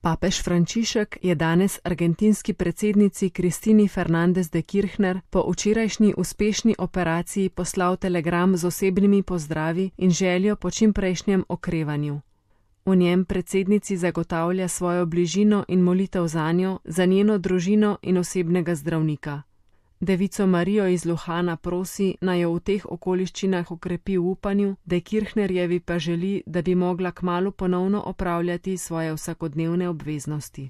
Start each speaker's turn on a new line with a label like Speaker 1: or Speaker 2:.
Speaker 1: Papež Frančišek je danes argentinski predsednici Kristini Fernández de Kirchner po včerajšnji uspešni operaciji poslal telegram z osebnimi pozdravi in željo po čimprejšnjem okrevanju. V njem predsednici zagotavlja svojo bližino in molitev zanjo, za njeno družino in osebnega zdravnika. Devico Marijo iz Luhana prosi, naj jo v teh okoliščinah okrepi v upanju, da Kirchnerjevi pa želi, da bi mogla kmalu ponovno opravljati svoje vsakodnevne obveznosti.